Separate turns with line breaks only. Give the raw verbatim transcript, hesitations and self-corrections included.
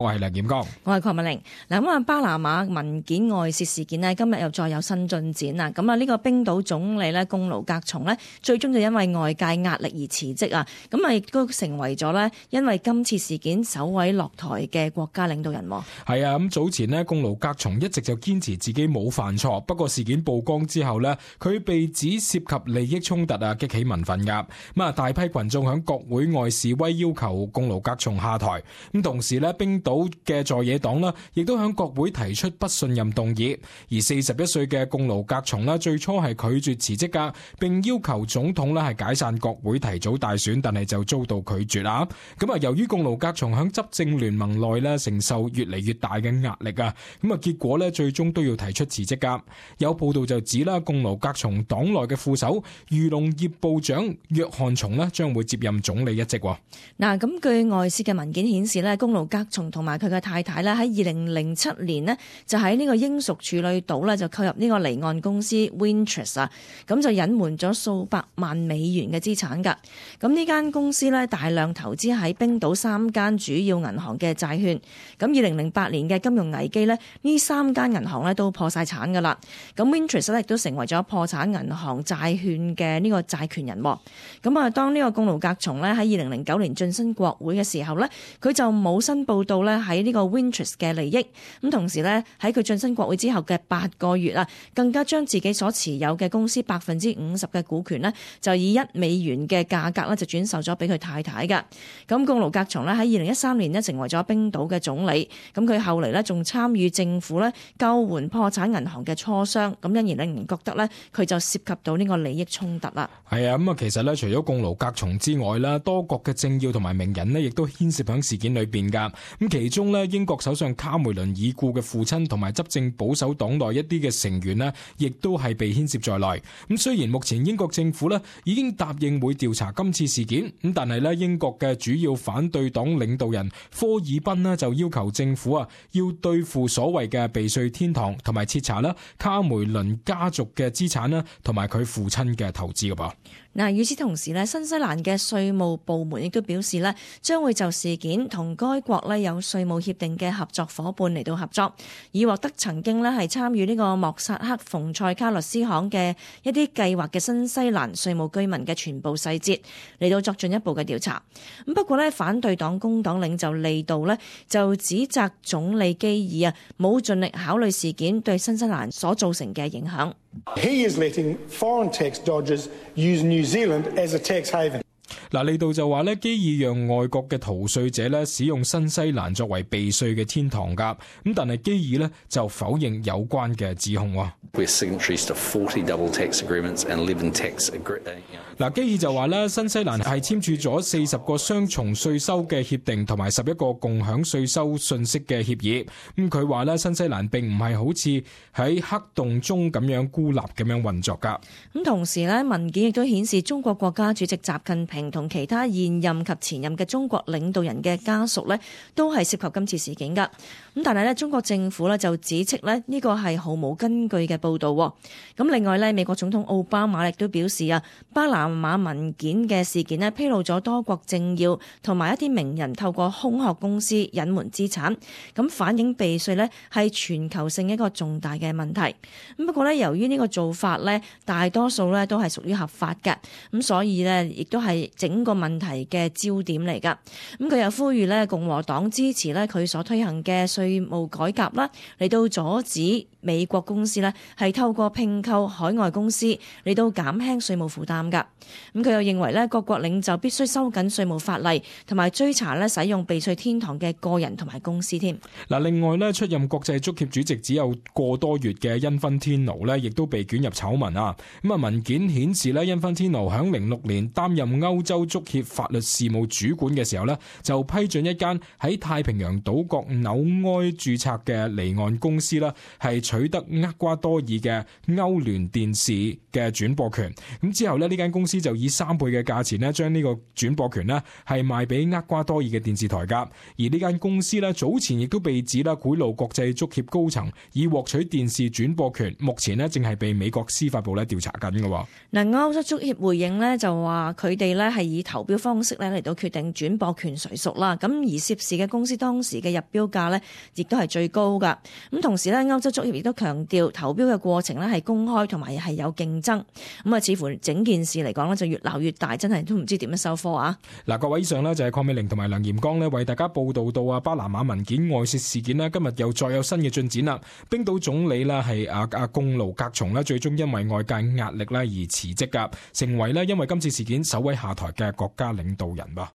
我係梁劍剛，
我係鄺美玲。嗱，咁啊，巴拿馬文件外泄事件呢，今日又再有新進展啦。咁啊，呢個冰島總理呢，貢盧格松呢，最終就因為外界壓力而辭職啊。咁啊，亦都成為咗呢，因為今次事件首位落台嘅國家領導人。
係啊，咁早前呢，貢盧格松一直就堅持自己冇犯錯，不過事件曝光之後呢，佢被指涉及利益衝突啊，激起民憤噶。咁啊，大批群眾響國會外示威，要求貢盧格松下台。咁同時呢，冰島嘅在野黨啦，亦都響國會提出不信任動議，而四十一歲嘅貢盧格松啦，最初係拒絕辭職噶，並要求總統咧係解散國會提早大選，但係就遭到拒絕啦。咁啊，由於貢盧格松響執政聯盟內咧承受越嚟越大嘅壓力啊，咁啊結果咧最終都要提出辭職噶。有報道就指啦，貢盧格松黨內嘅副手漁農業部長約翰松咧將會接任總理一職。
嗱，咁據外泄嘅文件顯示咧，貢盧格松同埋佢嘅太太咧喺二零零七年呢，就喺呢個英屬處女島咧就購入呢個離岸公司 Wintrust 啊，咁就隱瞞咗數百萬美元嘅資產㗎。咁呢間公司咧大量投資喺冰島三間主要銀行嘅債券。咁二零零八年嘅金融危機呢，呢三間銀行咧都破晒產㗎啦。咁 Wintrust 咧亦都成為咗破產銀行債券嘅呢個債權人。咁啊，當呢個貢盧格松咧喺二零零九年晉身國會嘅時候呢，佢就冇申報到咧喺呢個 Wintrust 嘅利益。咁同時咧喺佢晉身國會之後嘅八個月啊，更加將自己所持有嘅公司百分之五十嘅股權呢，就以一美元嘅價格咧就轉售咗俾佢太太㗎。咁貢盧格松咧喺二零一三年呢，成為咗冰島嘅總理。咁佢後嚟呢，仲參與政府咧救援破產銀行嘅磋商。咁因而令人覺得呢，佢就涉及到呢個利益衝突啦。
係啊，咁啊其實呢，除咗貢盧格松之外啦，多國嘅政要同埋名人呢，亦都牽涉響事件裏邊噶。咁其中呢，英國首相卡梅倫已故嘅父親同埋執政保守黨內一啲嘅成員呢，亦都係被牽涉在內。咁雖然目前英國政府呢已經答應會調查今次事件，咁但係呢，英國嘅主要反對黨領導人科爾賓呢，就要求政府啊要對付所謂嘅避稅天堂，同埋徹查啦卡梅倫家族嘅資產啦，同埋佢父親嘅投資噶噃。
嗱，與此同時咧，新西蘭嘅稅務部門亦都表示咧，將會就事件同該國咧有稅務協定嘅合作夥伴嚟到合作，以獲得曾經咧係參與呢個莫薩克馮塞卡律斯行嘅一啲計劃嘅新西蘭稅務居民嘅全部細節嚟到作進一步嘅調查。咁不過咧，反對黨工黨領袖利道咧就指責總理基爾啊冇盡力考慮事件對新西蘭所造成嘅影響。
He is letting foreign tax dodgers use New Zealand as a tax haven.
嗱，呢度就話咧，基爾讓外國嘅逃稅者咧使用新西蘭作為避稅嘅天堂噶，咁但係基爾咧就否認有關嘅指控。
We're signatories to forty double tax agreements and eleven tax agreements.
嗱，基爾就話咧，新西蘭係簽署咗四十個雙重稅收嘅協定，同埋十一個共享稅收信息嘅協議。咁佢話咧，新西蘭並唔係好似喺黑洞中咁樣孤立咁樣運作噶。
咁同時咧，文件亦都顯示中國國家主席習近平同其他現任及前任嘅中國領導人嘅家屬咧，都係涉及今次事件噶。咁但係咧，中國政府咧就指斥咧呢個係毫無根據嘅報導。咁另外咧，美國總統奧巴馬亦都表示啊，巴拿馬文件嘅事件咧披露咗多國政要同埋一啲名人透過空殼公司隱瞞資產，咁反映避稅咧係全球性一個重大嘅問題。咁不過咧，由於呢個做法咧大多數咧都係屬於合法嘅，咁所以咧亦都係整個問題嘅焦點嚟㗎。咁佢又呼籲咧共和黨支持咧佢所推行嘅稅務改革啦，嚟到阻止美國公司咧係透過併購海外公司嚟到減輕稅務負擔㗎。咁佢又認為咧各國領袖必須收緊稅務法例，同埋追查咧使用避稅天堂嘅個人同埋公司添。
嗱，另外咧出任國際足協主席只有個多月嘅因芬天奴咧，亦都被捲入醜聞啊。咁啊，文件顯示咧，因芬天奴響零六年擔任歐洲足協法律事務主管嘅時候咧，就批准一間喺太平洋島國紐埃註冊嘅離岸公司啦，係取得厄瓜多爾嘅歐聯電視嘅轉播權。咁之後呢，呢間公司就以三倍嘅價錢呢將呢個轉播權呢係賣俾厄瓜多爾嘅電視台㗎。而呢間公司呢，早前亦都被指啦賄賂國際足協高層以獲取電視轉播權，目前呢正係被美國司法部咧調查緊嘅。
嗱，歐洲足協回應呢就話佢哋呢係以投標方式咧嚟到決定轉播權誰屬啦。咁而涉事嘅公司當時嘅入標價呢亦都係最高㗎。咁同時呢，歐洲足協亦都強調投標嘅過程呢係公開同埋係有競爭。咁啊，似乎整件事嚟講呢就越鬧越大，真係都唔知點樣收科啊！
嗱，各位以上呢就係鄺美玲同埋梁炎剛呢為大家報道到啊巴拿馬文件外泄事件呢，今日又再有新嘅進展啦。冰島總理呢係阿阿貢盧格松呢，最終因為外界壓力呢而辭職噶，成為呢因為今次事件首位下台嘅國家領導人噃。